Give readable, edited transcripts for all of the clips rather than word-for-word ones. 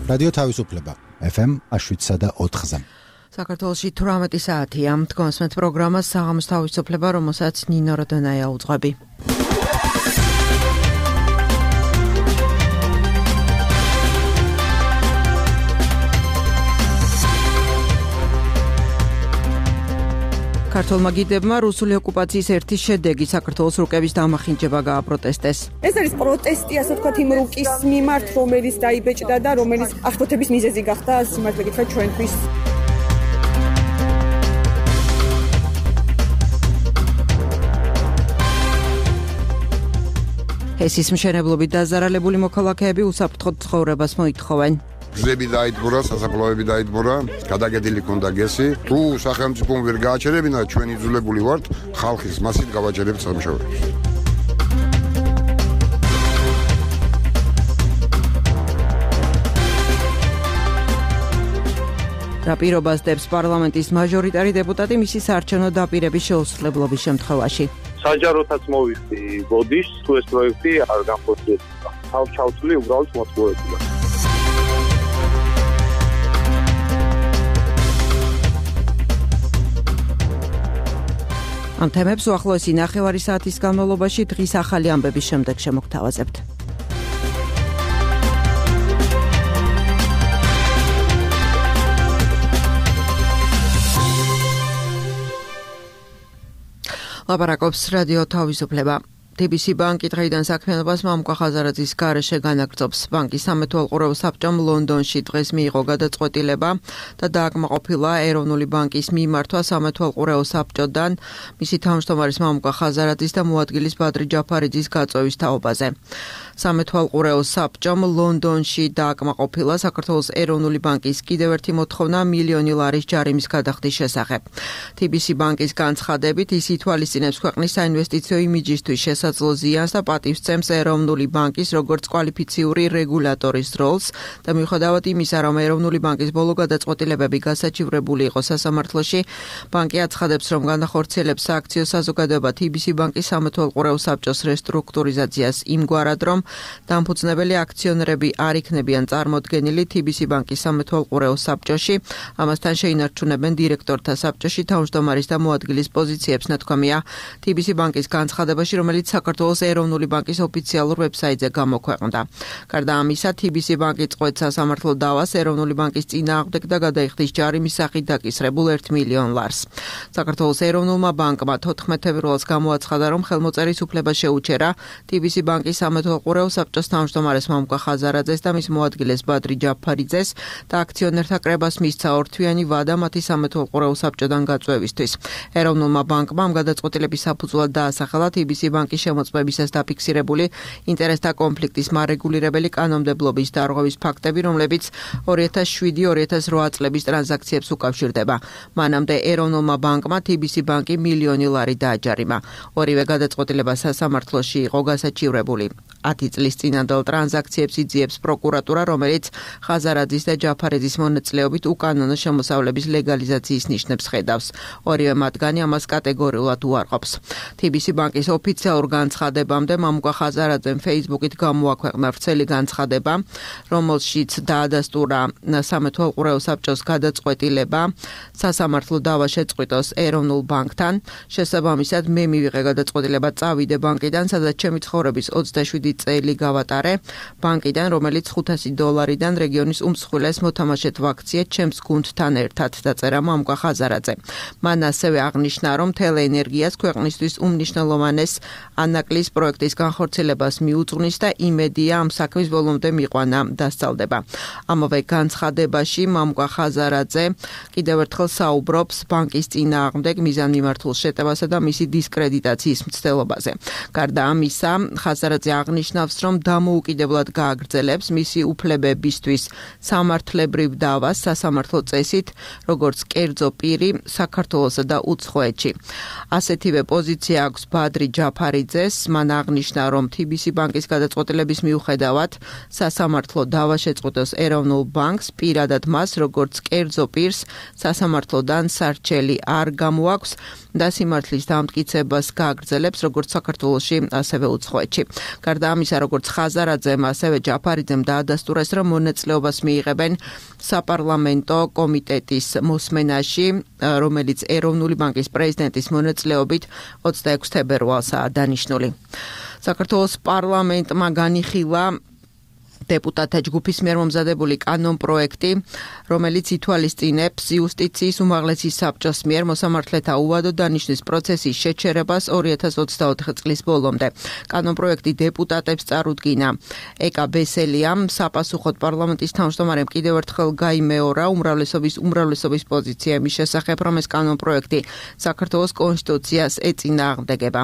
რადიო თავისუფლება FM 7.4-ზე. საქართველოში 18 საათია. თქვენს პროგრამას საღამოს თავისუფლება, რომელსაც ნინო როდონაია უძღვები. ქართულმა გიდებმა რუსული ოკუპაციის ერთი შედეგი საქართველოს რუკების დამახინჯება გააპროტესტეს. ეს არის პროტესტი, ასე ვთქვათ, იმ რუკის მიმართ, რომელიც დაიბეჭდა და რომელიც აღშფოთების მიზეზი გახდა სიმართლე გითხრათ ჩვენთვის. ჰესის მშენებლობით დაზარალებული მოქალაქეები უსაფრთხოდ ცხოვრებას მოითხოვენ. გზები დაიდგურა, სასაფლაოები დაიდგურა, გადაგედილი ქონდა გესი. თუ სახელმწიფომ ვერ გააჩერებინა, ჩვენ იძულებული ვართ ხალხის მასით გავაჩერებთ სამუშაოებს. რა პირობას დებს პარლამენტის მაჟორიტარი დეპუტატი მისი საარჩევნო დაპირების შეუსრულებლობის შემთხვევაში? საჯაროთაც მოვიხდი ბოდიშს, თუ ეს პროექტი არ განხორციელდება. თავ-ჩავთვლი უბრალოდ მოწყობილება. ამ თემებს უახლოესი ნახევარი საათის განმავლობაში დღის ახალი ამბების შემდეგ შემოგთავაზებთ. ლაპარაკობს რადიო თავისუფლება. TBC ბანკი დღეიდან საქმიანობას მამუკა ხაზარაძის გარეშე განაგრძობს. ბანკის სამეთვალყურეო საბჭომ ლონდონში დღეს მიიღო გადაწყვეტილება და დააკმაყოფილა ეროვნული ბანკის მიმართვა სამეთვალყურეო საბჭოდან მისი თავმჯდომარის მამუკა ხაზარაძის და მოადგილის ბადრი ჯაფარიძის გაწვევის თაობაზე. სამეთვალყურეო საბჭომ ლონდონში დააკმაყოფილა საქართველოს ეროვნული ბანკის კიდევ ერთი მოთხოვნა მილიონი ლარის ჯარიმის გადახდის შესახებ. TBC ბანკის განცხადებით ის ითვალისწინებს ქვეყნის საინვესტიციო იმიჯისთვის შესაძლო ზიანს და პატივს წემს ეროვნული ბანკის როგორც კვალიფიციური რეგულატორის როლს და მიუხედავად იმისა, რომ ეროვნული ბანკის ბოლო გადაწყვეტილებები გასაჩივრებული იყო სასამართლოში, ბანკი აცხადებს, რომ განახორციელებს სააქციო საზოგადოება TBC ბანკის სამეთვალყურეო საბჭოს რესტრუქტურიზაციას იმგვარად, რომ დამფუძნებელი აქციონერები არ იქნებიან წარმოდგენილი TBC ბანკის სამეთვალყურეო საბჭოში, ამასთან შეინარჩუნებენ დირექტორთა საბჭოში თავმჯდომარის და მოადგილის პოზიციებს, ნათქვამია TBC ბანკის განცხადებაში, რომელიც საქართველოს ეროვნული ბანკის ოფიციალურ ვებსაიტზე გამოქვეყნდა. გარდა ამისა, TBC ბანკი წყვეტს სასამართლო დავას ეროვნული ბანკის წინააღმდეგ და გადაიხდის ჯარიმის სახით დაკისრებულ 1 მილიონ ლარს. საქართველოს ეროვნულმა ბანკმა 14 ფევრალს გამოაცხადა, რომ ხელმოწერის უფლება შეუჩერა TBC ბანკის სამეთვალყურეო საბჭოს თავმჯდომარეს მამუკა ხაზარაძეს და მის მოადგილეს ბადრი ჯაფარიძეს და აქციონერთა კრებას მისცა ორთვიანი ვადა მათი სამეთვალყურეო საბჭოდან გაწვევისთვის. ეროვნულმა ბანკმა ამ გადაწყვეტილების საფუძვლად დაასახელა TBC ბანკის შემოწმებისას დაფიქსირებული ინტერესთა კონფლიქტის მარეგულირებელი კანონმდებლობის დარღვევის ფაქტები, რომლებიც 2007-2008 წლების ტრანზაქციებს უკავშირდება. მანამდე ეროვნულმა ბანკმა TBC ბანკი მილიონი ლარი დააჯარიმა. ორივე გადაწყვეტილება სასამართლოში იყო გასაჩივრებული. 10 წლის წინანდელ ტრანზაქციებს იძიებს პროკურატურა, რომელიც ხაზარაძის და ჯაფარიძის მონაწილეობით უკანონო შემოსავლების ლეგალიზაციის ნიშნებს ხედავს. ორივე მათგანი ამას კატეგორიულად უარყოფს. TBC ბანკის ოფიციალურ განცხადებამდე მამუკა ხაზარაძემ Facebook-ით გამოაქვეყნა ვრცელი განცხადება, რომელშიც დაადასტურა სამეთვალყურეო საბჭოს გადაწყვეტილება სასამართლო დავა შეწყვიტოს ეროვნულ ბანკთან. შესაბამისად, მე მივიღე გადაწყვეტილება წავიდე ბანკიდან, სადაც ჩემი ცხოვრების 27 წელი გავატარე ბანკიდან, რომელიც $500-დან რეგიონის უმსხვილეს მოთამაშეთ ვაქციე ჩემს გუნდთან ერთად, დაწერა მამუკა ხაზარაძე. მან ასევე აღნიშნა, რომ თელეენერგიას ქვეყნისთვის უმნიშვნელოვანეს ანაკლის პროექტის განხორციელებას მიუძღვნის და იმედია ამ საქმის ბოლომდე მიყვანა დასწალდება. ამავე განცხადებაში მამუკა ხაზარაძე კიდევ ერთხელ საუბრობს ბანკის წინააღმდეგ მიზანმიმართულ შეტევასა და მისი დისკრედიტაციის მცდელობაზე. გარდა ამისა, ხაზარაძე აღნიშნავს, რომ დამოუკიდებლად გააგრძელებს მისი უფლებებისთვის სამართლებრივ დავას სასამართლო წესით, როგორც კერძო პირი საქართველოსა და უცხოეთში. ასეთივე პოზიცია აქვს ბადრი ჯაფარიძეს. მან აღნიშნა, რომ TBC ბანკის გადაწყვეტილების მიუხედავად სასამართლო დავა შეწყვიტოს ეროვნულ ბანკს, პირადად მას როგორც კერძო პირს სასამართლოდან სარჩელი არ გამოაქვს და სიმართლის დამტკიცებას გააგრძელებს როგორც საქართველოში, ასევე უცხოეთში. გარდა ამისა, როგორც ხაზარაძემ, ასევე ჯაფარიძემ დაადასტურეს, რომ მონაწილეობას მიიღებენ საპარლამენტო კომიტეტის მოსმენაში, რომელიც ეროვნული ბანკის პრეზიდენტის მონაწილეობით 26 თებერვალსაა დანიშნული. საქართველოს პარლამენტმა განიხილა დეპუტატთა ჯგუფის მიერ მომზადებული კანონპროექტი, რომელიც ითვალისწინებს იუსტიციის უმაღლესი საბჭოს მიერ მოსამართლეთა უვადო დანიშნვის პროცესის შეჩერებას 2024 წლის ბოლომდე. კანონპროექტი დეპუტატებს წარუდგინა. ეკა ბესელიამ საპასუხოდ პარლამენტის თავმჯდომარემ კიდევ ერთხელ გაიმეორა უმრავლესობის პოზიცია იმის შესახებ, რომ ეს კანონპროექტი საქართველოს კონსტიტუციას ეწინააღმდეგება.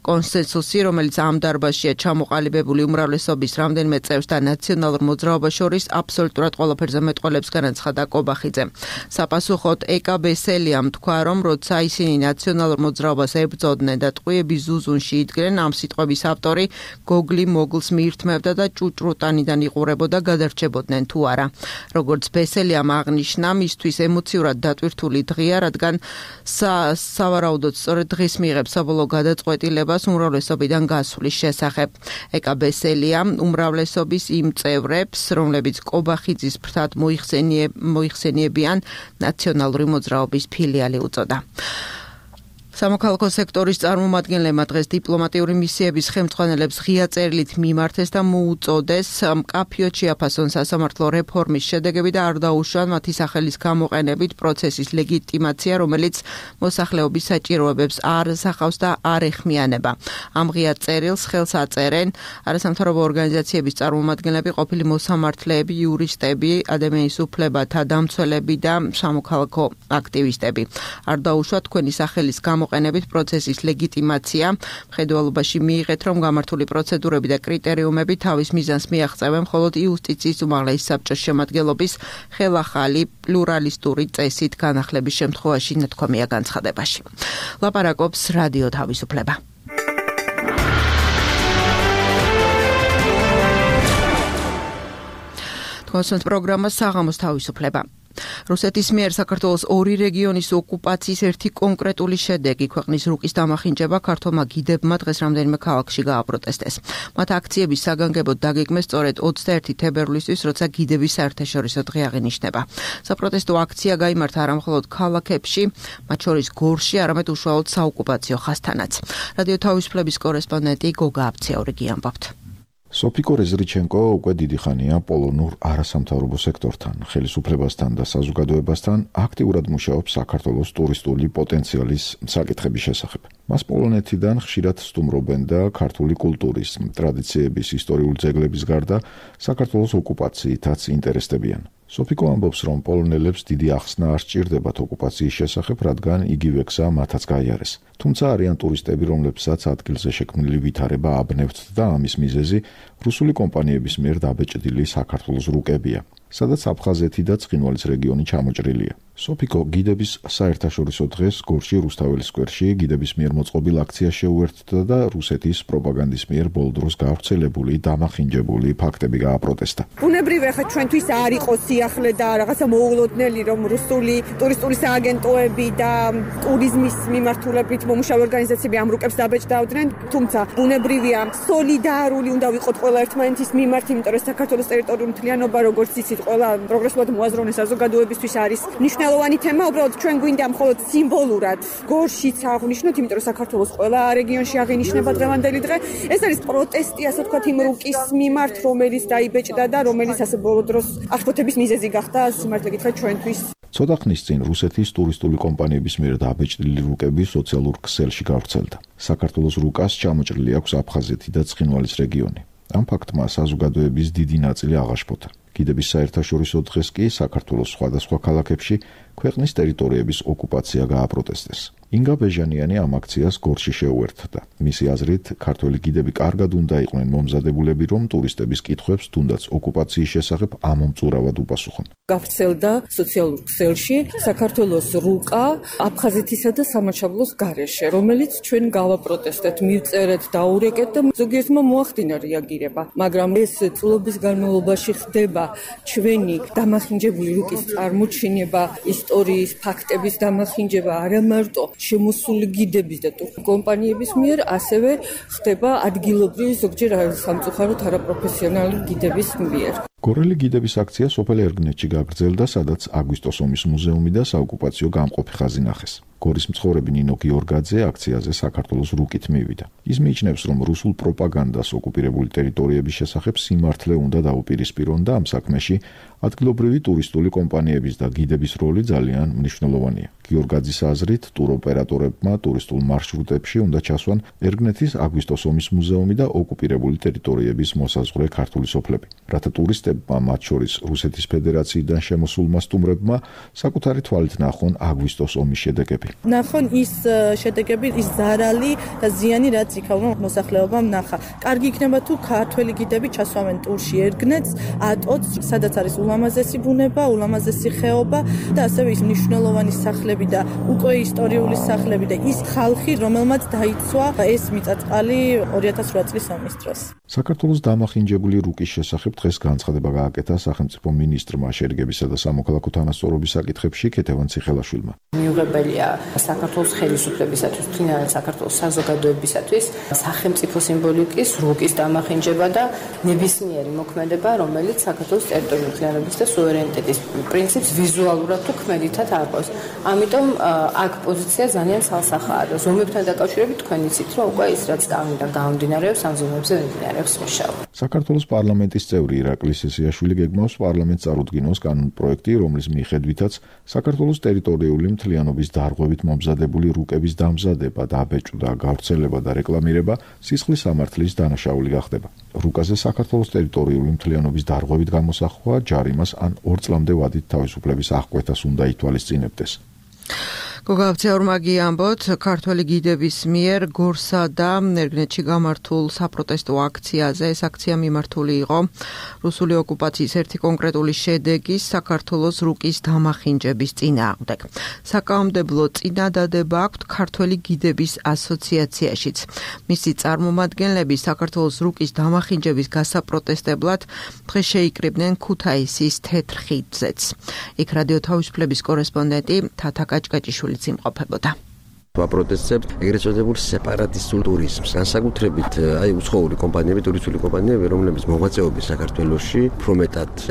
კონსენსუსი, რომელიც ამ დარბაზშია ჩამოყალიბებული უმრავლესობის რამდენიმე წევს და ნაციონალურ მოძრაობას შორის აბსოლუტურად ყველაფერზე მეტყველებს განაცხადა კობახიძე. საპასუხოდ ეკა ბესელიამ თქვა, რომ როცა ისინი ნაციონალურ მოძრაობას ებრძოდნენ და ტყვიების ზუზუნში იდგნენ, ამ სიტყვების ავტორი გოგლი მოგლს მიირთმევდა და ჭუჭრუტანიდან იყურებოდა გადარჩებოდნენ თუ არა. როგორც ბესელიამ აღნიშნა, მისთვის ემოციურად დატვირთული დღეა, რადგან სავარაუდოდ სწორედ დღეს მიიღებს საბოლოო გადაწყვეტილებას უმრავლესობიდან გასვლის შესახებ. ეკა ბესელიამ უმრავლესობის იმ წევრებს, რომლებიც კობახიძის ფრთად მოიხსენიებიან ნაციონალური მოძრაობის ფილიალი უწოდა. სამოქალაქო სექტორის წარმომადგენლებმა დღეს დიპლომატიური მისიების ხელმძღვანელებს ღია წერილით მიმართეს და მოუწოდეს მკაფიოდ შეაფასონ სასამართლო რეფორმის შედეგები და არ დაუშვან მათი სახელის გამოყენებით პროცესის ლეგიტიმაცია, რომელიც მოსახლეობის საჭიროებებს არ ასახავს და არ ეხმიანება. ამ ღია წერილს ხელს აწერენ არასამთავრობო ორგანიზაციების წარმომადგენლები, ყოფილი მოსამართლეები, იურისტები, ადამიანის უფლებათა დამცველები და სამოქალაქო აქტივისტები. არ დაუშვა თქვენი სახელის გამოყენებით პროცესის ლეგიტიმაცია. მხედველობაში მიიღეთ, რომ გამართული პროცედურები და კრიტერიუმები თავის მიზანს მიაღწევენ მხოლოდ იუსტიციის უმაღლესი საბჭოს შემადგენლობის ხელახალი პლურალისტური წესით განახლების შემთხვევაში, ნათქვამია განცხადებაში. ლაპარაკობს რადიო თავისუფლება. თქვენს პროგრამას საღამოს თავისუფლება. რუსეთის მიერ საქართველოს ორი რეგიონის ოკუპაციის ერთი კონკრეტული შედეგი ქვეყნის რუკის დამახინჯება ქართულმა გიდებმა დღეს რამდენიმე ქალაქში გააპროტესტეს. მათ აქციების საგანგებოდ დაგეგმეს სწორედ 21 თებერვლისთვის, როცა გიდების საერთაშორისო დღე აღინიშნება. საპროტესტო აქცია გაიმართა არა მხოლოდ ქალაქებში, მათ შორის გორში, არამედ უშუალოდ საოკუპაციო ხაზთანაც. რადიო თავისუფლების კორესპონდენტი გოგა აბციაურიგი ამბობთ. სოფიკო რეზრიჩენკო უკვე დიდი ხანია პოლონურ არასამთავრობო სექტორთან, ხელისუფლებასთან და საზოგადოებასთან აქტიურად მუშაობს საქართველოს ტურისტული პოტენციალის საკითხების შესახებ. მას პოლონეთიდან ხშირად სტუმრობენ და ქართული კულტურის, ტრადიციების, ისტორიული ძეგლების გარდა საქართველოს ოკუპაციითაც ინტერესდებიან. სოფიკო ამბობს, რომ პოლონელებს დიდი ახსნა არ სჭირდებათ ოკუპაციის შესახებ, რადგან იგივე გზა მათაც გაიარეს. თუმცა არიან ტურისტები, რომლებსაც ადგილზე შექმნილი ვითარება აბნევთ და ამის მიზეზი რუსული კომპანიების მიერ დაბეჭდილი საქართველოს რუკებია, სადაც აფხაზეთი და ცხინვალის რეგიონი ჩამოჭრილია. სოფიკო გიდების საერთაშორისო დღეს გორში რუსთაველის სკვერში გიდების მიერ მოწყობილ აქციას შეუერთდა და რუსეთის პროპაგანდის მიერ ბოლო დროს გავრცელებული დამახინჯებული ფაქტები გააპროტესტა. ბუნებრივია, ხა ჩვენთვის არ იყოს სიახლე და რაღაცა მოულოდნელი, რომ რუსული ტურისტული სააგენტოები და ტურიზმის მიმართულებით მომუშავე ორგანიზაციები ამ რუკებს დაბეჭდავდნენ, თუმცა ბუნებრივია, სოლიდარული უნდა ვიყოთ ყველა ერთმანეთის მიმართ, იმიტომ რომ საქართველოს ტერიტორიული მთლიანობა, როგორც იცით, ყველა პროგრესულად მოაზროვნე საზოგადოებისთვის არის მნიშვნელოვანი თემა, უბრალოდ ჩვენ გვინდა მხოლოდ სიმბოლურად გორშიც აღვნიშნოთ, იმიტომ რომ საქართველოს ყველა რეგიონში აღინიშნება დღევანდელი დღე. ეს არის პროტესტი, ასე ვთქვათ, იმ რუკის მიმართ, რომელიც დაიბეჭდა და რომელიც ასე ბოლო დროს აღშფოთების მიზეზი გახდა, სიმართლე გითხრათ, ჩვენთვის. ცოტა ხნის წინ რუსეთის ტურისტული კომპანიების მიერ დაბეჭდილი რუკები სოციალურ ქსელში გავრცელდა. საქართველოს რუკას ჩამოჭრილი აქვს აფხაზეთი და ცხინვალის რეგიონი. ამ ფაქტმა საზოგადოების დიდი ნაწილი აღაშფოთა. გიდების საერთაშორისო დღეს კი საქართველოს სხვადასხვა ქალაქებში ქვეყნის ტერიტორიების ოკუპაცია გააპროტესტეს. ინგა ბეჟანიანი ამ აქციას გორში შეუერთდა. მისი აზრით, ქართველი გიდები კარგად უნდა იყვნენ მომზადებულები, რომ ტურისტების კითხვებს თუნდაც ოკუპაციის შესახებ ამომწურავად უპასუხონ. გავრცელდა სოციალურ ქსელში საქართველოს რუკა აფხაზეთისა და სამაჩაბლოს გარეშე, რომელიც ჩვენ გავაპროტესტეთ, მივწერეთ, დაურეკეთ და ზოგიერთმა მოახდინა რეაგირება, მაგრამ ეს წლების განმავლობაში ხდება ჩვენი დამახინჯებული რუკის წარმოჩინება, ისტორიის ფაქტების დამახინჯება, არა მარტო შემოსული გიდების და კომპანიების მიერ, ასევე ხდება ადგილობრივი ზოგჯერ სამწუხაროდ არაპროფესიონალი გიდების მიერ. გორელი გიდების აქცია სოფელ ერგნეთში გაგრძელდა, სადაც აგვისტოს ომის მუზეუმი და საოკუპაციო გამყოფი ხაზი ნახეს. გორის მცხოვრები ნინო გიორგაძე აქციაზე საქართველოს რუკით მივიდა. ის მიიჩნევს, რომ რუსულ პროპაგანდას ოკუპირებული ტერიტორიების შესახებ სიმართლე უნდა დაუპირისპირონ და ამ საქმეში ადგილობრივი ტურისტული კომპანიების და გიდების როლი ძალიან მნიშვნელოვანია. გიორგაძის აზრით, ტუროპერატორებმა ტურისტულ მარშრუტებში უნდა ჩასვან ერგნეთის აგვისტოს ომის მუზეუმი და ოკუპირებული ტერიტორიების მოსაზღვრე ქართული სოფლები, რათა ტურისტებმა, მათ შორის რუსეთის ფედერაციიდან შემოსულმა სტუმრებმა, საკუთარი თვალით ნახონ აგვისტოს ომის შედეგები. ნახონ ის შედეგები, ის ზარალი და ზიანი, რაც იქავნო მოსახლეობამ ნახა. კარგი იქნება თუ ქართველი გიდები ჩასვამენ ტურში ერგნეთს, ატოც, სადაც არის ულამაზესი ბუნება, ულამაზესი ხეობა და ასევე ის მნიშვნელოვანი სახლები და უკვე ისტორიული სახლები და ის ხალხი, რომელმაც დაიცვა ეს მიწა-წყალი 2008 წლის ომის დროს. საქართველოს დამახინჯებული რუკის შესახებ დღეს განცხადება გააკეთა სახელმწიფო მინისტრმა შერიგებისა და სამოქალაქო თანასწორობის საკითხებში ქეთევან ციხელაშვილმა. მიუღებელია საქართველოს ხელისუფლებისათვის, თუნდაც საქართველოს საზოგადოებისათვის სახელმწიფო სიმბოლიკის რუკის დამახინჯება და ნებისმიერი მოქმედება, რომელიც საქართველოს ტერიტორიული მთლიანობის და სუვერენიტეტის პრინციპს ვიზუალურად თუ ქმედითად არყავს. ამიტომ აქ პოზიცია ძალიან ცალსახაა და ზომებთან დაკავშირებით თქვენ იცით, რომ უკვე ის რაც გამომდინარეობს, ამ ზომებზე მიმდინარეობს მუშაობა. საქართველოს პარლამენტის წევრი ირაკლი სესიაშვილი გეგმავს პარლამენტს წარუდგინოს კანონპროექტი, რომლის მიხედვითაც საქართველოს ტერიტორიული მთლიანობის დარღვევით მომზადებული რუკების დამზადება, დაბეჭდა, გავრცელება და რეკლამირება სისხლის სამართლის დანაშაული გახდება. რუკაზე საქართველოს ტერიტორიული მთლიანობის დარღვევით გამოსახვა ჯარიმას ან 2 წლამდე ვადით თავისუფლების აღკვეთას უნდა ითვალისწინებდეს. გოგავცეურმაგი ამბოთ, ქართველი გიდების მიერ გორსა და ერგნეთში გამართულ საპროტესტო აქციაზე. ეს აქცია მიმართული იყო რუსული ოკუპაციის ერთი კონკრეტული შედეგის საქართველოს რუკის დამახინჯების წინააღმდეგ. საკანონმდებლო წინადადება აქვთ ქართველი გიდების ასოციაციაშიც. მისი წარმომადგენლები საქართველოს რუკის დამახინჯების გასაპროტესტებლად დღეს შეიკრიბნენ ქუთაისის თეთრ ხიდზეც. იქ რადიო თავისუფლების კორესპონდენტი თათა კაჭკაჭიშვილი იმყოფებოდა. ვაპროტესტებთ ეგრეთ წოდებულ სეპარატისტულ ტურიზმს. განსაკუთრებით უცხოური კომპანიები, ტურისტული კომპანიები, რომლებიც მოღვაწეობენ საქართველოში, უფრო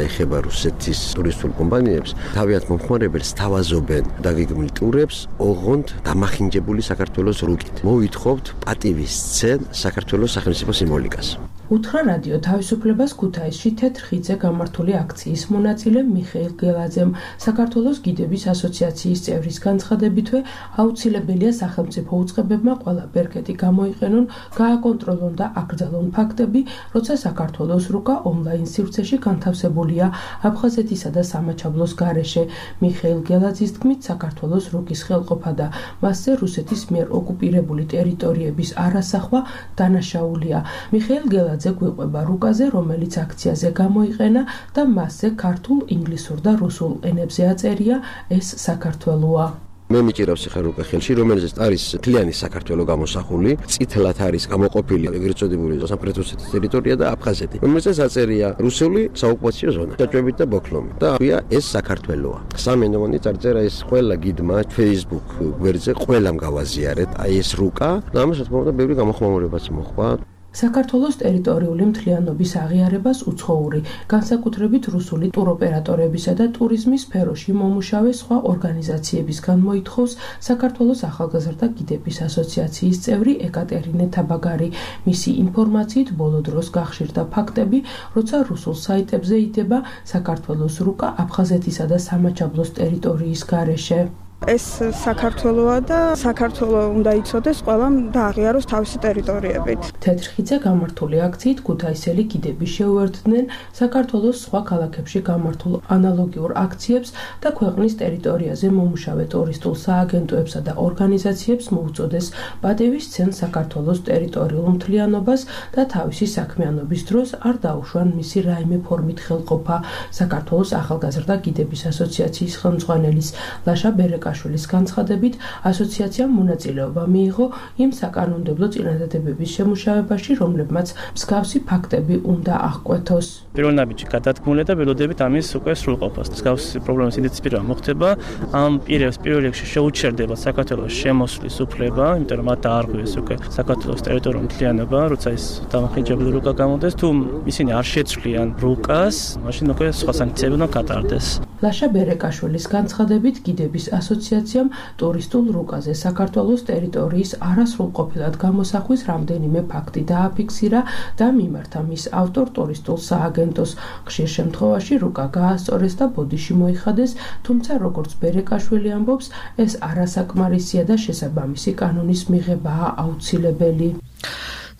ეხება რუსეთის ტურისტულ კომპანიებს, თავიანთ მომხმარებელს თავაზობენ დაგეგმილ ტურებს, ოღონდ დამახინჯებული საქართველოს რუკით. მოვითხოვთ პატივისცენ საქართველოს სახელმწიფო სიმბოლიკას. უთხრა რადიო თავისუფლებას ქუთაისში თეთრ ხიდზე გამართული აქციის მონაწილე მიხეილ გელაძემ. საქართველოს გიდების ასოციაციის წევრის განცხადებითვე აუცილებელია სახელმწიფო უწყებებმა ყველა ბერკეტი გამოიყენონ, გააკონტროლონ და აკრძალონ ფაქტები, როცა საქართველოს რუკა ონლაინ სივრცეში განთავსებულია აფხაზეთისა და სამაჩაბლოს გარეშე. მიხეილ გელაძის თქმით, საქართველოს რუკის ხელყოფა და მასზე რუსეთის მიერ ოკუპირებული ტერიტორიების არასახვა დანაშაულია. მიხეილ გელაძე გვიყვება რუკაზე, რომელიც აქციაზე გამოიყენა და მასზე ქართულ, ინგლისურ და რუსულ ენებზე აწერია ეს საქართველოა. მე მიჭირავს ახლა რუკა ხელში, რომელზეც არის მთლიანი საქართველო გამოსახული, წითლად არის გამოყოფილი ეგრეთ წოდებული სამხრეთ რუსეთის ტერიტორია და აფხაზეთი, რომელზეც აწერია რუსული საოკუპაციო ზონა, დაჭრებით და ბოქლომი. და ეს საქართველოა. სამენოვანი წარწერა ეს ყველა გიდმა Facebook გვერდზე ყველამ გავაზიარეთ, აი ეს რუკა და ამას რა თქმა უნდა ბევრი გამოხმაურებაც მოხდა. საქართველოს ტერიტორიული მთლიანობის აღიარებას უცხოური, განსაკუთრებით რუსული ტუროპერატორებისა და ტურიზმის სფეროში მომუშავე სხვა ორგანიზაციებისგან მოითხოვს საქართველოს ახალგაზრდა გიდების ასოციაციის წევრი ეკატერინე თაბაგარი. მისი ინფორმაციით ბოლო დროს გახშირდა ფაქტები, როცა რუსულ საიტებზე იდება საქართველოს რუკა აფხაზეთისა და სამაჩაბლოს ტერიტორიის გარეშე. ეს საქართველოა და საქართველო უნდა იცოდეს ყველამ და აღიაროს თავისი ტერიტორიებით. თეთრ ხიდზე გამართული აქციით ქუთაისელი გიდები შეუერთდნენ საქართველოს სხვა ქალაქებში გამართულ ანალოგიურ აქციებს და ქვეყნის ტერიტორიაზე მომუშავე ტურისტულ სააგენტოებსა და ორგანიზაციებს მოუწოდეს პატივისცენ საქართველოს ტერიტორიულ მთლიანობას და თავისი საქმიანობის დროს არ დაუშვან მისი რაიმე ფორმით ხელყოფა. საქართველოს ახალგაზრდა გიდების ასოციაციის ხელმძღვანელის ლაშა ბერეკა ბერეკაშვილის განცხადებით, ასოციაციამ მონაწილეობა მიიღო იმ საკანონმდებლო წინადადებების შემუშავებაში, რომლებმაც მსგავსი ფაქტები უნდა აღკვეთოს. პირველ ნაბიჯი გადადგმულია და ველოდებით ამის უკვე სრულყოფას. მსგავსი პრობლემის იდენტიფიცირება მოხდება, ამ პირებს პირველ რიგში შეუჩერდება საქართველოს შემოსვლის უფლება, იმიტომ რომ მათ დაარღვიეს უკვე საქართველოს ტერიტორიული მთლიანობა, როცა ის დამახინჯებული რუკა გამოდის, თუ ისინი არ შეცვლიან რუკას, მაშინ უკვე სხვა სანქციები უნდა გატარდეს. ლაშა ბერეკაშვილის განცხადებით, გიდების ასოციაციამ ტურისტულ რუკაზე საქართველოს ტერიტორიის არასრულყოფილად გამოსახვის რამდენიმე ფაქტი დააფიქსირა და მიმართა მის ავტორ ტურისტულ სააგენტოს. ხშირ შემთხვევაში რუკა გაასწორეს და ბოდიში მოიხადეს, თუმცა როგორც ბერეკაშვილი ამბობს, ეს არასაკმარისია და შესაბამისი კანონის მიღებაა აუცილებელი.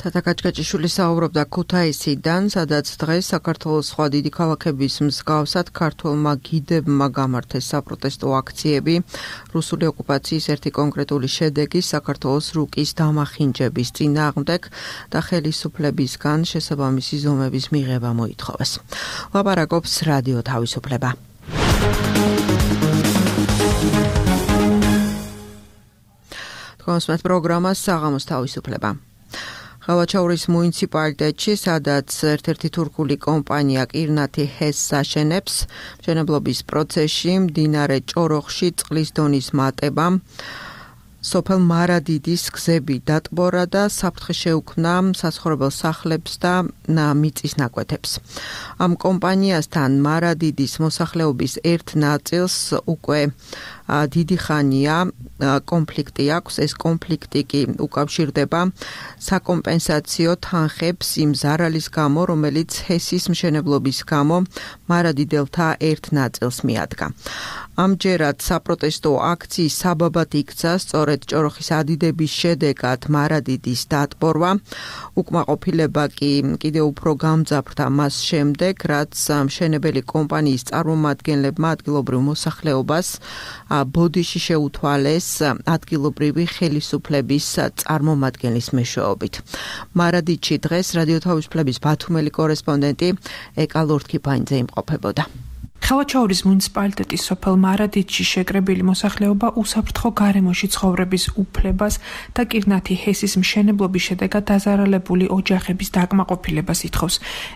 თათა კაჭკაჭიშვილი საუბრობდა ქუთაისიდან, სადაც დღეს საქართველოს სხვა დიდი ქალაქების მსგავსად ქართველმა გიდებმა გამართეს საპროტესტო აქციები რუსული ოკუპაციის ერთი კონკრეტული შედეგის საქართველოს რუკის დამახინჯების წინააღმდეგ და ხელისუფლებისგან შესაბამისი ზომების მიღება მოითხოვეს. ლაპარაკობს რადიო თავისუფლება. თქვენს პროგრამას საღამოს თავისუფლება. ხალვაჩაურის მუნიციპალიტეტში, სადაც ერთ-ერთი თურქული კომპანია კირნათი ჰესს აშენებს, მშენებლობის პროცესში მდინარე ჭოროხში წყლის დონის მატებამ სოფელ მარადიდის გზები დატბორა და საფრთხე შეუქმნა საცხოვრებელ სახლებს და მიწის ნაკვეთებს. ამ კომპანიასთან მარადიდის მოსახლეობის ერთ ნაწილს უკვე დიდი ხანია კონფლიქტი აქვს. ეს კონფლიქტი კი უკავშირდება საკომპენსაციო თანხებს იმ ზარალის გამო, რომელიც ჰესის მშენებლობის გამო მარადიდელთა ერთ ნაწილს მიადგა. ამჯერად საპროტესტო აქციის საბაბად იქცა სწორედ ჭოროხის ადიდების შედეგად მარადიდის დატბორვა. უკმაყოფილება კი კიდევ უფრო გამძაფრდა მას შემდეგ, რაც მშენებელი კომპანიის წარმომადგენლებმა ადგილობრივ მოსახლეობას ბოდიში შეუთვალეს ადგილობრივი ხელისუფლების წარმომადგენლის მეშვეობით. მარადიდში დღეს რადიო თავისუფლების ბათუმელი კორესპონდენტი ეკა ლორთქიფანიძე იმყოფებოდა. ხალვაჩაურის მუნიციპალიტეტის სოფელ მარადიდში შეკრებილი მოსახლეობა უსაფრთხო გარემოში ცხოვრების უფლებას და კირნათი ჰესის მშენებლობის შედეგად დაზარალებული ოჯახების დაკმაყოფილებას ითხოვს.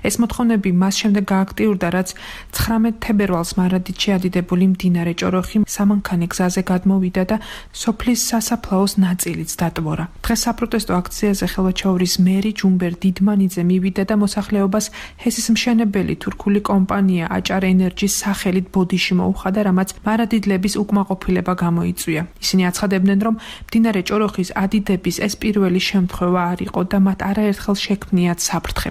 ეს მოთხოვნები მას შემდეგ გააქტიურდა, რაც 19 თებერვალს მარადიდში ადიდებული მდინარე ჭოროხი სამანქანე გზაზე გადმოვიდა და სოფლის სასაფლაოს ნაწილიც დატბორა. დღეს საპროტესტო აქციაზე ხალვაჩაურის მერი ჯუმბერ დიდმანიძე მივიდა და მოსახლეობას ჰესის მშენებელი თურქული კომპანია აჭარ ენერჯის სახელით ბოდიში მოუხადა, რამაც მარადიდლების უკმაყოფილება გამოიწვია. ისინი აცხადებდნენ, რომ მდინარე ჭოროხის ადიდების ეს პირველი შემთხვევა არ იყო და მათ არაერთხელ შექმნიათ საფრთხე.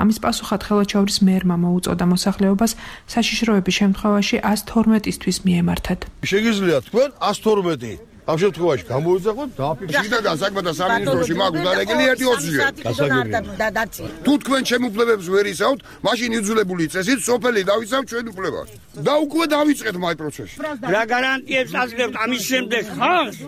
ამის პასუხად ხალვაჩაურის მერმა მოუწოდა მოსახლეობას საშიშროების შემთხვევაში 112-ისთვის მიემართათ. შეგიძლია თქვენ 112 ამ შემთხვევაში გამოიძახოთ დააფიქსიროთ. შიდა საკმათა სამინისტროში მაქვს დარეგილი 1-20. თუ თქვენ შემოუფლებებს ვერ ისაუთ, მაშინ იძულებული წესით სოფელი დავიცავთ ჩვენ უფლებას. და უკვე დავიწყეთ მაი პროცესში. რა გარანტიებს აძლევთ ამის შემდეგ ხალხს,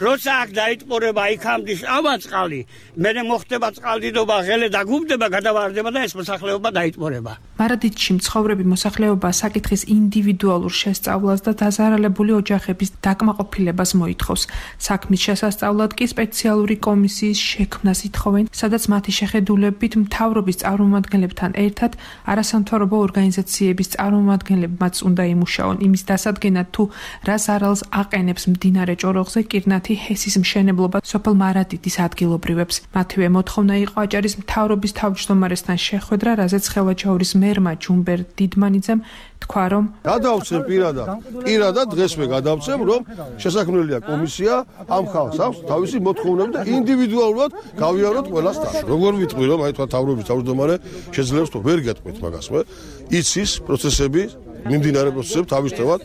როცა აქ დაიტყორება იქამდე ავაწყალი, მერე მოხდება წყალდიდობა, ღელე დაგუბდება, გადავარდება და ეს მოსახლეობა დაიტყორება. მარადიდში მცხოვრები მოსახლეობა საკითხის ინდივიდუალურ შესწავლას და დაზარალებული ოჯახების დაკმაყოფილებას მოითხოვს. საქმის შესასწავლად კი სპეციალური კომისიის შექმნას ითხოვენ, სადაც მათი შეხედულებით მთავრობის წარმომადგენლებთან ერთად არასამთავრობო ორგანიზაციების წარმომადგენლებმაც უნდა იმუშაონ იმის დასადგენად, თუ რა ზარალს აყენებს მდინარე ჭოროხზე კირნათი ჰესის მშენებლობა სოფელ მარადიდის ადგილობრივებს. მათივე მოთხოვნა იყო აჭარის მთავრობის თავმჯდომარესთან შეხვედრა, რაზეც ხალვაჩაურის მერმა ჯუმბერ დიდმანიძემ თქვა, რომ გადავცემ პირადად დღესვე გადავცემ, რომ შესაქმნელია კომისია ამ ხალხს აქვს თავისი მოთხოვნები და ინდივიდუალურად გავიაროთ ყველასთან. როგორ ვიტყვი, რომ აი თქვა თავრობის თავმჯდომარე შეძლებს თუ ვერ გეტყვით მაგას, იცის პროცესები მიმდინარე პროცესები თავისთავად.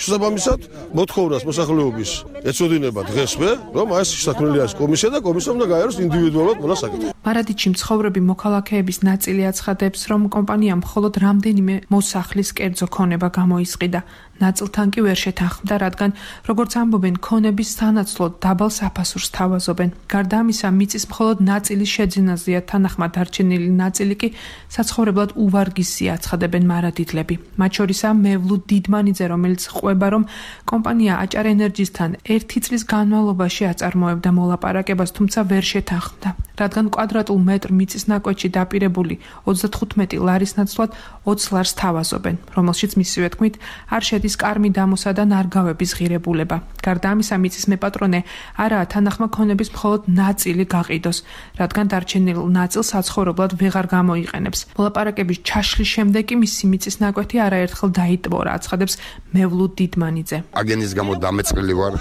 შესაბამისად, მოთხოვნას მოსახლეობის ეწოდინება დღესვე, რომ აი შესაქმნელია კომისია და კომისიამ უნდა გაიაროს ინდივიდუალურად ყველა საკითხი. მარადიჩი მცხოვრები მოქალაქეების ნაწილი აცხადებს, რომ კომპანიამ მხოლოდ რამდენიმე მოსახლის კერძო ქონება გამოისყიდა. ნაწილთან კი ვერ შეთანხმდა, რადგან როგორც ამბობენ, ქონების სანაცვლოდ დაბალ საფასურს თავაზობენ. გარდა ამისა, მიწის მხოლოდ ნაწილის შეძენაზეა თანახმად დარჩენილი ნაწილი კი საცხოვრებლად უვარგისია, აცხადებენ მარადიდლები. მათ შორისაა მევლუ დიდმანიძე, რომელიც ყვება, რომ კომპანია აჭარ ენერჯისთან 1 წლის განმავლობაში აწარმოებდა მოლაპარაკებას, თუმცა ვერ შეთანხმდა, რადგან კვადრატულ მეტრ მიწის ნაკვეთში დაპირებული 35 ლარის ნაცვლად 20 ლარს თავაზობენ, რომელშიც მისივე თქმით არ შედის კარმი დამოსა და ნარგავების ღირებულება. გარდა ამისა, მიწის მეპატრონე არაა თანახმა ქონების მხოლოდ ნაწილი გაყიდოს, რადგან დარჩენილ ნაწილს საცხოვრებლად ვეღარ გამოიყენებს. მოლაპარაკების ჩაშლის შემდეგ კი მისი მიწის ნაკვეთი არაერთხელ დაიტბორა, აცხადებს მევლუ დიდმანიძე. აგენის გამო დამეწყილი ვარ,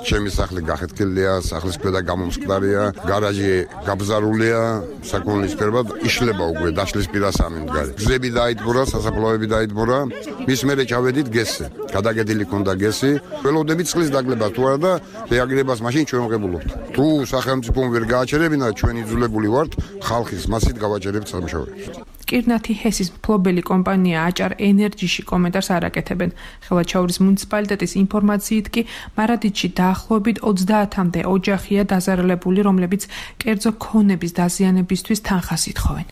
ჩემი სახლი გახეთქილია, სახლის ქვედა გამომსკვდარია, გარაჟი გაბზარულია, საქონლის ფერბად იშლება უკვე დაშლის პირას ამიმდგარი. გზები დაიტბორა, სასაფლაოები დაიტბორა, მის მერე ჩავედით გესზე. გადაგედილი ქონდა გესი, ველოდებით წყლის დაგლებას თუ არა და რეაგირებას მაშინ ჩვენ ვღებულობთ. თუ სახელმწიფომ ვერ გააჩერებინა, ჩვენ იძულებული ვართ ხალხის მასით გავაჩერებთ სამუშაოებს. კირნათი ჰესის მფლობელი კომპანია აჭარ ენერჯიში კომენტარს არ აკეთებენ. ხელვაჩაურის მუნიციპალიტეტის ინფორმაციით კი მარადიდში დაახლოებით 30-მდე ოჯახია დაზარალებული, რომლებიც კერძო ქონების დაზიანებისთვის თანხას ითხოვენ.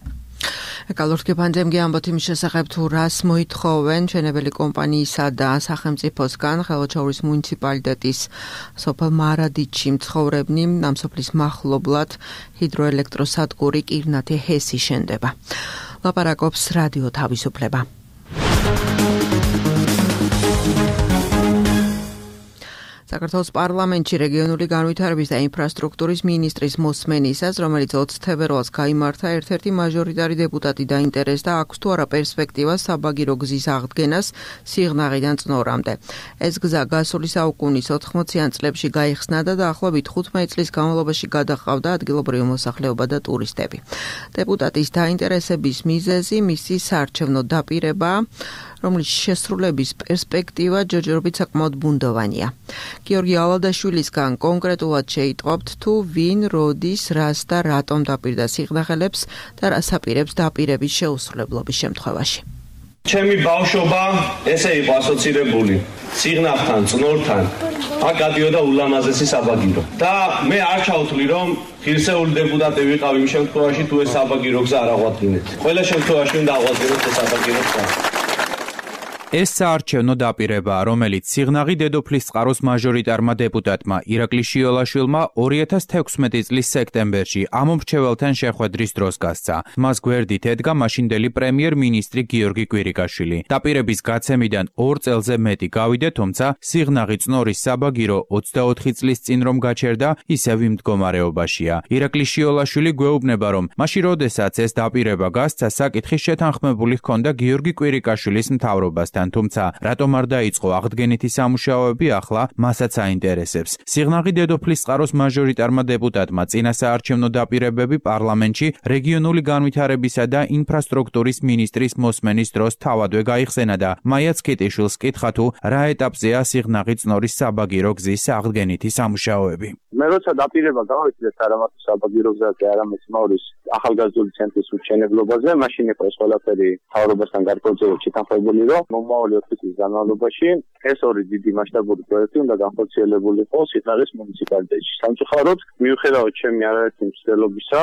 ეკალორთგებანდემგე ამბობთ იმის შესახებ, თუ რას მოითხოვენ ჩვენებელი კომპანიისა და სახელმწიფოსგან. ხელვაჩაურის მუნიციპალიტეტის სოფელ მარადიდში მცხოვრებნი ამ სოფლის მახლობლად ჰიდროელექტროსადგური კირნათი ჰესი შენდება. ლაპარაკობს რადიო თავისუფლება. საქართველოს პარლამენტში რეგიონული განვითარების და ინფრასტრუქტურის მინისტრის მოსმენისას, რომელიც 20 თებერვალს გაიმართა, ერთ-ერთი მაჟორიტარი დეპუტატი დაინტერესდა, აქვს თუ არა პერსპექტივა საბაგირო გზის აღდგენას სიღნაღიდან წნორამდე. ეს გზა გასული საუკუნის 80-იან წლებში გაიხსნა და დაახლოებით 15 წლის განმავლობაში გადაჰყავდა ადგილობრივი მოსახლეობა და ტურისტები. დეპუტატის დაინტერესების მიზეზი მისი საარჩევნო დაპირება, რომლის შესრულების პერსპექტივა ჯერჯერობით საკმაოდ ბუნდოვანია. გიორგი ალადაშვილისგან კონკრეტულად შეიტყობთ, თუ ვინ, როდის, რას და რატომ დაპირდა სიღნაღელებს და რას აპირებს დაპირების შეუსრულებლობის შემთხვევაში. ჩემი ბავშვობა ესე იყო ასოცირებული სიღნაღთან, წნორთან. აქ გადიოდა ულამაზესი საბაგირო. და მე არ ჩავთვლი, რომ ღირსეული დეპუტატი ვიყავ იმ შემთხვევაში, თუ ეს საბაგირო გზა არ აღვადგინეთ. ყველა შემთხვევაში უნდა აღვადგინოთ ეს საბაგირო გზა. ეს საარჩევნო დაპირება, რომელიც სიღნაღი დედოფლის წყაროს მაჟორიტარმა დეპუტატმა ირაკლი შიოლაშვილმა 2016 წლის სექტემბერში ამომრჩეველთან შეხვედრის დროს გასცა. მას გვერდით ედგა მაშინდელი პრემიერ-მინისტრი გიორგი კვირიკაშვილი. დაპირების გაცემიდან 2 წელზე მეტი გავიდა, თუმცა სიღნაღი წნორის საბაგირო 24 წლის წინ რომ გაჩერდა, ისევ იმ მდგომარეობაშია. ირაკლი შიოლაშვილი გვეუბნება, რომ მაშინ როდესაც ეს დაპირება გასცა, საკითხი შეთანხმებული ჰქონდა გიორგი კვირიკაშვილის მთავრობასთან. თუმცა რატომ არ დაიწყო აღდგენითი სამუშაოები, ახლა მასაც აინტერესებს. სიღნაღი დედოფლის წყაროს მაჟორიტარმა დეპუტატმა წინა საარჩევნო დაპირებები პარლამენტში რეგიონული განვითარებისა და ინფრასტრუქტურის მინისტრის მოსმენის დროს თავადვე გაიხსენა და მაიაც კიტიშვილს კითხა, თუ რა ეტაპზეა სიღნაღი წნორის საბაგირო გზის აღდგენითი სამუშაოები. მე როცა დაპირება გავიწვიეთ არამარტო საბაგირო გზაზე, არამედ მauris ახალგაზრდული ცენტრის მშენებლობაზე, მაშინ იყო ეს ყველაფერი მთავრობასთან გარკვეულწილად შეთანხმებული, რომ მომავალი 4 წლის განმავლობაში ეს ორი დიდი მასშტაბური პროექტი უნდა განხორციელებულიყო სიღნაღის მუნიციპალიტეტში. სამწუხაროდ, მიუხედავად ჩემი არაერთი მცდელობისა,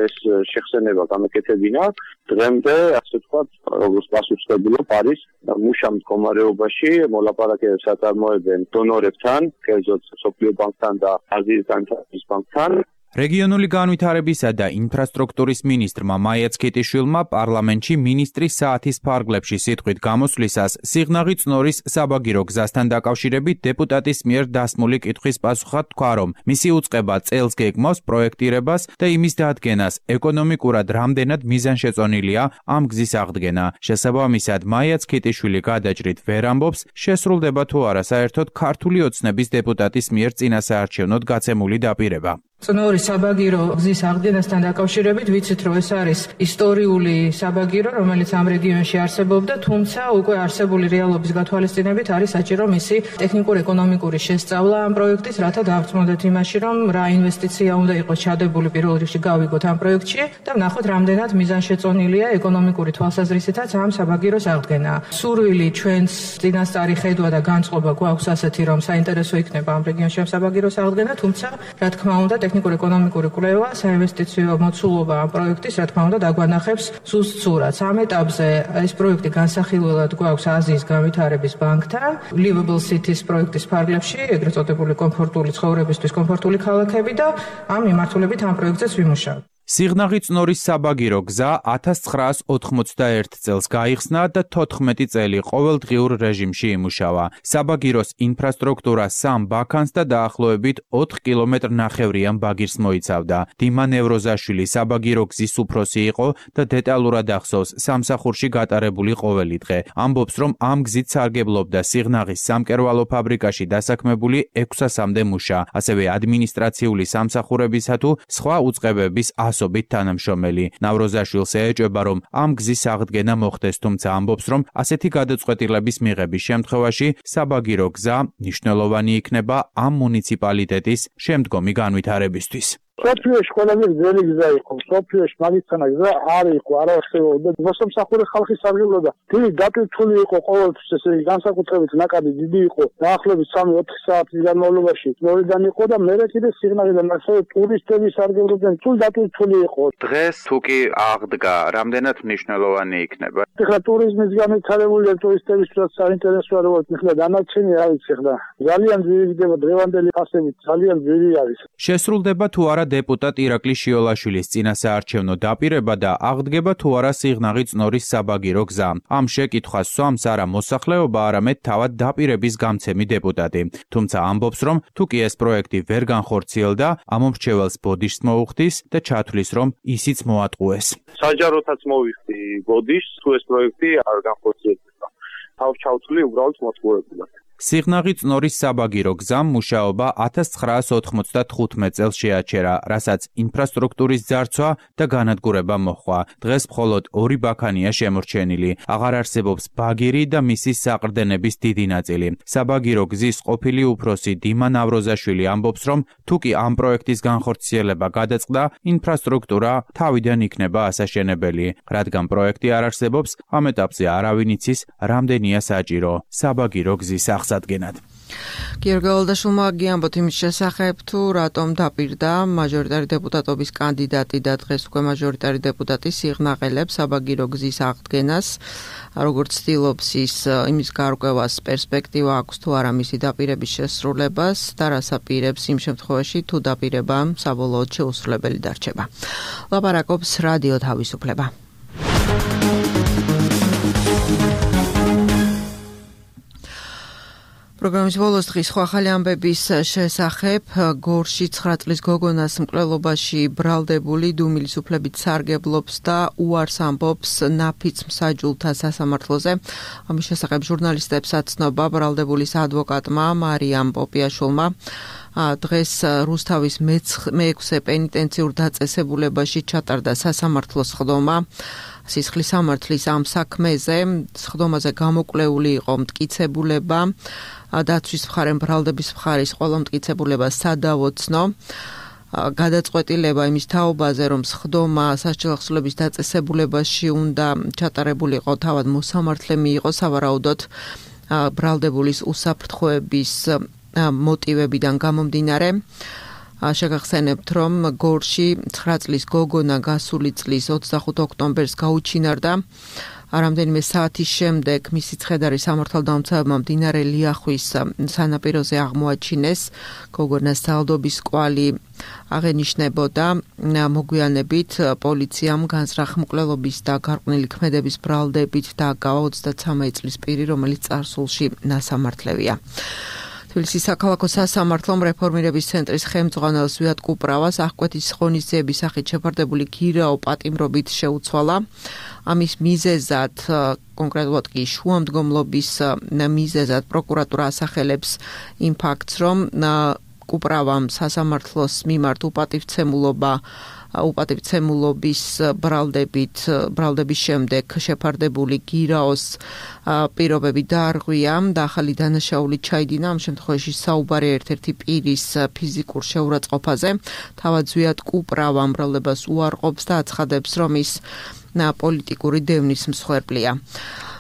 ეს შეხსენება გამეკეთებინა. დღემდე, ასე ვთქვათ, როგორც პასუხისმგებლობა არის მუშა მდგომარეობაში, მოლაპარაკებებს აწარმოებენ დონორებთან, კერძოდ სოფლიო ბანკთან და აზიის განვითარების ბანკთან. რეგიონული განვითარებისა და ინფრასტრუქტურის მინისტრმა მაიაც კიტიშვილმა პარლამენტში მინისტრის საათის ფარგლებში სიტყვით გამოსვლისას სიღნაღი წნორის საბაგირო გზასთან დაკავშირებით დეპუტატის მიერ დასმული კითხვის პასუხად თქვა, რომ მისი უწყება წელს გეგმავს პროექტირებას და იმის დადგენას, ეკონომიკურად რამდენად მიზანშეწონილია ამ გზის აღდგენა. შესაბამისად, მაიაც კიტიშვილი გადაჭრით ვერ ამბობს, შესრულდება თუ არა საერთოდ ქართული ოცნების დეპუტატის მიერ წინასაარჩევნოდ გაცემული დაპირება. წნორის საბაგირო გზის აღდგენასთან დაკავშირებით ვიცით, რომ ეს არის ისტორიული საბაგირო, რომელიც ამ რეგიონში არსებობდა, თუმცა უკვე არსებული რეალობის გათვალისწინებით არის საჭირო მისი ტექნიკურ-ეკონომიკური შესწავლა ამ პროექტის, რათა დავწმუნდეთ იმაში, რომ რა ინვესტიცია უნდა იყოს ჩადებული პირველ რიგში გავიგოთ ამ პროექტში და ვნახოთ, რამდენად მიზანშეწონილია ეკონომიკური თვალსაზრისითაც ამ საბაგიროს აღდგენა. სურვილი ჩვენს წინასწარი ხედვა და განწყობა გვაქვს ასეთი, რომ საინტერესო იქნება ამ რეგიონში ამ საბაგიროს აღდგენა, თუმცა რა თქმა უნდა ტექნიკურ-ეკონომიკური კვლევა, საინვესტიციო მოცულობა ამ პროექტის, რა თქმა უნდა, დაგვანახებს სუსტ სურათს. ამ ეტაპზე ეს პროექტი განსახილველად გვაქვს აზიის განვითარების ბანკთან, Livable Cities პროექტის ფარგლებში, ეგრეთ წოდებული კომფორტული ცხოვრებისთვის კომფორტული ქალაქები და ამ მიმართულებით ამ პროექტზეც ვიმუშავებთ. სიღნაღი წნორის საბაგირო გზა 1991 წელს გაიხსნა და 14 წელი ყოველდღიურ რეჟიმში იმუშავა. საბაგიროს ინფრასტრუქტურა 3 ბაქანს და დაახლოებით 4 კილომეტრ-ნახევრიან ბაგირს მოიცავდა. დიმა ნევროზაშვილი საბაგირო გზის უფროსი იყო და დეტალურად ახსოვს სამსახურში გატარებული ყოველი დღე. ამბობს, რომ ამ გზით სარგებლობდა სიღნაღის სამკერვალო ფაბრიკაში დასაქმებული 600-მდე მუშა, ასევე ადმინისტრაციული სამსახურებისა თუ სხვა უწყებების ასობით თანამშრომელი. ნავროზაშვილს ეჭვება, რომ ამ გზის აღდგენა მოხდეს, თუმცა ამბობს, რომ ასეთი გადაწყვეტილების მიღების შემთხვევაში საბაგირო გზა მნიშვნელოვანი იქნება ამ მუნიციპალიტეტის შემდგომი განვითარებისთვის. სოფიოში ყველაზე ძველი გზა იყო. სოფიოში მაგისტრალა გზა არ იყო, არ არსებობდა. მოსამსახურე ხალხი სარგებლობდა. დიდი დატვირთული იყო ყოველთვის, ესე იგი განსაკუთრებით ნაკადი დიდი იყო. დაახლოებით 3-4 საათის განმავლობაში ნორიდან იყო და მერე კიდე სიღნაღიდან ასევე ტურისტები სარგებლობდნენ. სულ დატვირთული იყო. დღეს თუ კი აღდგა, რამდენად მნიშვნელოვანი იქნება? ეხლა ტურიზმის განვითარებულია, ტურისტებისთვის საინტერესოა, როგორც ეხლა დანარჩენი არის ეხლა. ძალიან ძვირი ხდება დღევანდელი ფასებით, ძალიან ძვირი არის. შესრულდება თუ არა დეპუტატ ირაკლი შიოლაშვილის წინასაარჩევნო დაპირება და აღდგება თუ არა სიღნაღი წნორის საბაგირო გზა. ამ შეკითხვას სვამს არა მოსახლეობა, არამედ თავად დაპირების გამცემი დეპუტატი. თუმცა ამბობს, რომ თუ კი ეს პროექტი ვერ განხორციელდა, ამომრჩეველს ბოდიშს მოუხდის და ჩათვლის, რომ ისიც მოატყუეს. საჯაროთაც მოვიხდი ბოდიშს, თუ ეს პროექტი არ განხორციელდება. თავს ჩავთვლი უბრალოდ მოწყურებულად. სიღნაღი წნორის საბაგირო გზამ მუშაობა 1995 წელს შეაჩერა, რასაც ინფრასტრუქტურის ძარცვა და განადგურება მოჰყვა. დღეს მხოლოდ 2 ბაქანია შემორჩენილი. აღარ არსებობს ბაგირი და მისი საყრდენების დიდი ნაწილი. საბაგირო გზის ყოფილი უფროსი დიმა ნავროზაშვილი ამბობს, რომ თუ კი ამ პროექტის განხორციელება გადაწყდა, ინფრასტრუქტურა თავიდან იქნება ასაშენებელი. რადგან პროექტი არ არსებობს, ამ ეტაპზე არავინ იცის, რამდენია საჭირო საბაგირო გზის აღსადგენად. გიორგი ოლდაშვილმა გიამბოთ იმის შესახებ, თუ რატომ დაპირდა მაჟორიტარი დეპუტატობის კანდიდატი და დღეს უკვე მაჟორიტარი დეპუტატი სიღნაღელებს საბაგირო გზის აღდგენას, როგორც ცდილობს ის იმის გარკვევას პერსპექტივა აქვს თუ არა მისი დაპირების შესრულებას და რას აპირებს იმ შემთხვევაში თუ დაპირება საბოლოოდ შეუსრულებელი დარჩება. ლაპარაკობს რადიო თავისუფლება. პროგრამის ბოლოს დღის სხვა ახალი ამბების შესახებ გორში 9 წლის გოგონას მკვლელობაში ბრალდებული დუმილის უფლებით სარგებლობს და უარს ამბობს ნაფიც მსაჯულთა სასამართლოზე. ამის შესახებ ჟურნალისტებს აცნობა ბრალდებულის ადვოკატმა მარიამ პოპიაშვილმა. დღეს რუსთავის მე-6 პენიტენციურ დაწესებულებაში ჩატარდა სასამართლოს სხდომა. სისხლის სამართლის ამ საქმეზე სხდომაზე გამოკვლეული იყო მტკიცებულება. დაცვის მხარემ ბრალდების მხარის ყველა მტკიცებულება სადავოცნო. გადაწყვეტილება იმის თაობაზე, რომ სხდომა სასჯელ ახსულების დაწესებულებაში უნდა ჩატარებულიყო თავად მოსამართლე მიიღო სავარაუდოდ ბრალდებულის უსაფრთხოების მოტივებიდან გამომდინარე. შეგახსენებთ, რომ გორში 9 წლის გოგონა გასული წლის 25 ოქტომბერს გაუჩინარდა. რამდენიმე საათის შემდეგ მისი ცხედარი სამართალდამცავებმა მდინარე ლიახვის სანაპიროზე აღმოაჩინეს. გოგონას ძალდობის კვალი აღენიშნებოდა. მოგვიანებით პოლიციამ განზრახ მკვლელობის და გარყვნილი ქმედების ბრალდებით დააგავა 33 წლის პირი, რომელიც წარსულში ნასამართლევია. თბილისის საქალაქო სასამართლომ რეფორმირების ცენტრის ხელმძღვანელს ვიად კუპრავას აღკვეთის ღონისძიების სახით შეფარდებული გირაო პატიმრობით შეუცვალა. ამის მიზეზად, კონკრეტულად კი შუამდგომლობის მიზეზად პროკურატურა ასახელებს იმ ფაქტს, რომ კუპრავამ სასამართლოს მიმართ უპატივცემულობის ბრალდების შემდეგ შეფარდებული გირაოს პირობები დაარღვია და ახალი დანაშაული ჩაიდინა. ამ შემთხვევაში საუბარია ერთ-ერთი პირის ფიზიკურ შეურაცხყოფაზე. თავად ზვიად კუპრავა ბრალდებას უარყოფს და აცხადებს, რომ ის პოლიტიკური დევნის მსხვერპლია.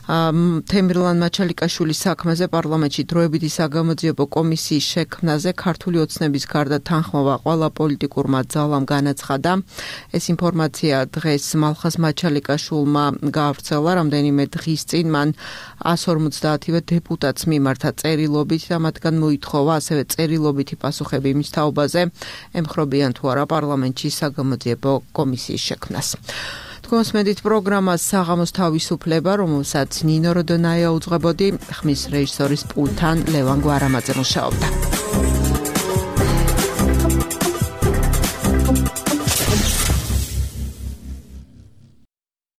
თემირლან მაჩალიკაშვილის საქმეზე პარლამენტში დროებითი საგამოძიებო კომისიის შექმნაზე ქართული ოცნების გარდა თანხმობა ყველა პოლიტიკურმა ძალამ განაცხადა. ეს ინფორმაცია დღეს მალხაზ მაჩალიკაშვილმა გაავრცელა. რამდენიმე დღის წინ მან 150-ვე დეპუტატს მიმართა წერილობით და მათგან მოითხოვა ასევე წერილობითი პასუხები იმის თაობაზე, ემხრობიან თუ არა პარლამენტში საგამოძიებო კომისიის შექმნას. Თქვენს პროგრამას საღამოს თავისუფლება, რომელსაც ნინო როდონაია უძღვებოდი, ხმის რეჟისორის პულტთან ლევან გვარამაძე მუშაობდა.